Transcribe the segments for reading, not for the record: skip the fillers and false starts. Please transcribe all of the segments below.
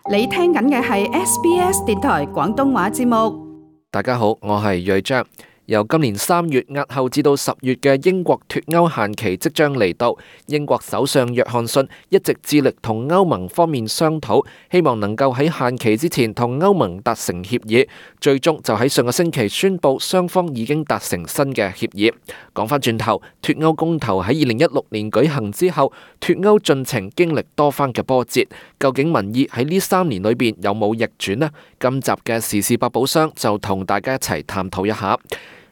你聽緊嘅係 SBS 電台廣東話節目。大家好，我係睿章。由今年3月押後至到10月嘅英國脫歐限期即將嚟到，英國首相約翰遜一直致力同歐盟方面商討，希望能夠喺限期之前同歐盟達成協議，最終就喺上個星期宣布雙方已經達成新嘅協議。講返轉頭，脫歐公投喺2016年舉行之後，脫歐進程經歷多番嘅波折，究竟民意喺呢3年裏邊有冇逆轉呢？今集嘅時事百寶箱就同大家一齊探討一下。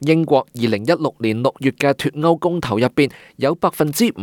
英國2016年6月嘅脫歐公投入邊，有52%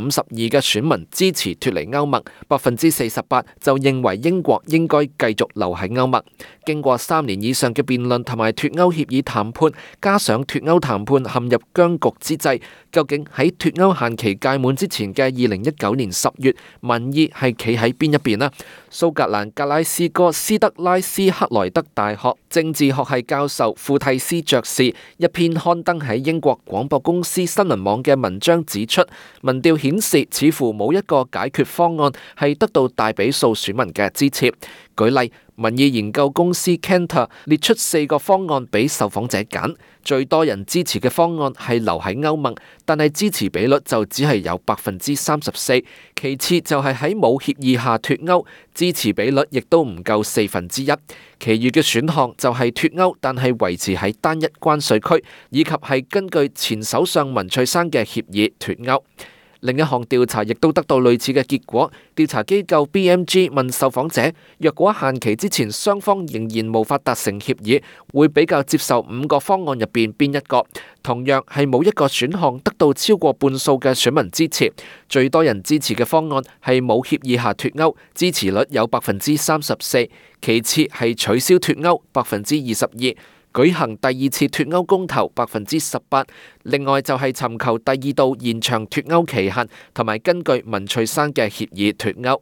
嘅選民支持脫離歐盟，48%就認為英國應該繼續留喺歐盟。經過3年以上嘅辯論同埋脫歐協議談判，加上脫歐談判陷入僵局之際，究竟喺脫歐限期屆滿之前嘅2019年10月，民意係企喺邊一邊呢？蘇格蘭格拉斯哥斯德拉斯克萊德大學政治學系教授庫蒂斯爵士一篇刊登喺英國廣播公司新聞網嘅文章指出，民調顯示似乎冇一個解決方案係得到大比數選民嘅支持。舉例，民意研究公司 Kantar 列出4個方案俾受訪者揀，最多人支持嘅方案係留喺歐盟，但係支持比率就只係有34%。其次就係喺冇協議下脫歐，支持比率亦都唔夠1/4。其餘嘅選項就係脫歐，但係維持喺單一關稅區，以及係根據前首相文翠珊嘅協議脫歐。另一項調查亦都得到類似嘅結果。調查機構 BMG 問受訪者，若果限期之前雙方仍然無法達成協議，會比較接受5個方案入邊邊一個？同樣係冇一個選項得到超過半數嘅選民支持。最多人支持嘅方案係冇協議下脫歐，支持率有34%。其次係取消脫歐，22%。舉行第2次脫歐公投18%，另外就係尋求第2度延長脫歐期限，同埋根據文翠珊嘅協議脫歐。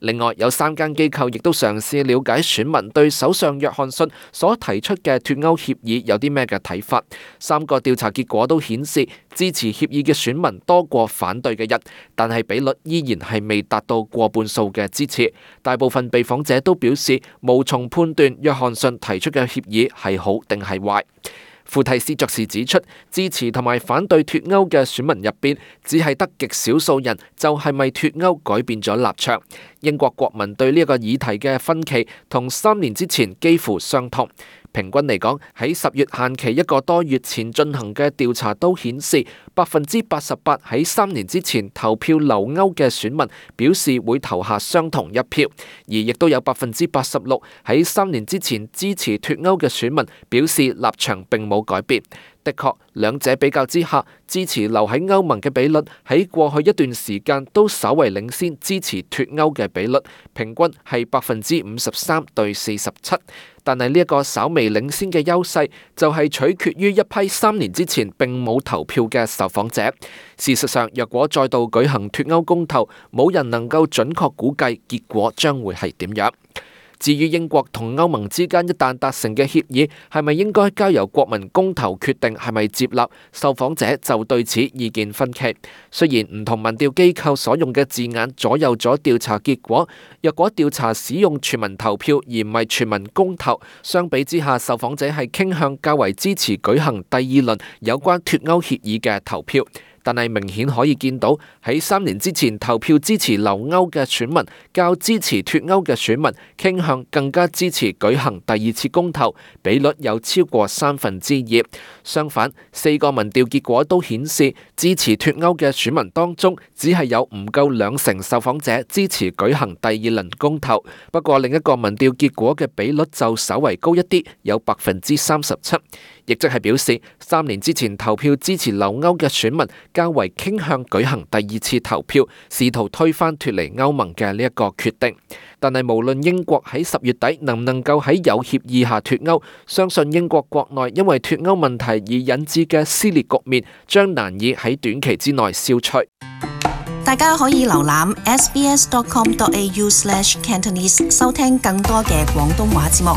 另外有3間機構亦都嘗試了解選民對首相約翰遜所提出嘅脫歐協議有啲咩嘅睇法。3個調查結果都顯示支持協議嘅選民多過反對嘅人，但係比率依然係未達到過半數嘅支持。大部分被訪者都表示無從判斷約翰遜提出嘅協議係好定係壞。庫蒂斯爵士指出，支持同埋反對脫歐嘅選民入邊，只係得極少數人就係咪脫歐改變咗立場。英國國民對呢一個議題嘅分歧同3年之前幾乎相同。平均嚟講，喺10月限期1個多月前進行嘅調查都顯示，88%喺3年之前投票留歐嘅選民表示會投下相同一票，而亦都有86%喺3年之前支持脫歐嘅選民表示立場並冇改變。的確，兩者比較之下，支持留喺歐盟嘅比率喺過去一段時間都稍為領先支持脫歐嘅比率，平均係53%對47%。但係呢一個稍微領先嘅優勢，就係取決於一批3年之前並冇投票嘅受訪者。事實上，若果再度舉行脫歐公投，冇人能夠準確估計結果將會係點樣。至於英國同歐盟之間一旦達成嘅協議，係咪應該交由國民公投決定係咪接納？受訪者就對此意見分歧。雖然唔同民調機構所用嘅字眼左右咗調查結果，若果調查使用全民投票而唔係全民公投，相比之下，受訪者係傾向較為支持舉行第2輪有關脫歐協議嘅投票。但係明顯可以見到，喺3年之前投票支持留歐嘅選民，較支持脫歐嘅選民傾向更加支持舉行第2次公投，比率有超過2/3。相反，4個民調結果都顯示，支持脫歐嘅選民當中，只係有唔夠2成受訪者支持舉行第2輪公投。不過另一個民調結果嘅比率就稍為高一啲，有37%，亦即係表示3年之前投票支持留歐嘅選民較為傾向舉行第2次投票，試圖推翻脫離歐盟嘅呢一個決定。但係無論英國喺10月底能唔能夠喺有協議下脫歐，相信英國國內因為脫歐問題而引致嘅撕裂局面，將難以喺短期之內消除。大家可以瀏覽 sbs.com.au/cantonese 收聽更多嘅廣東話節目。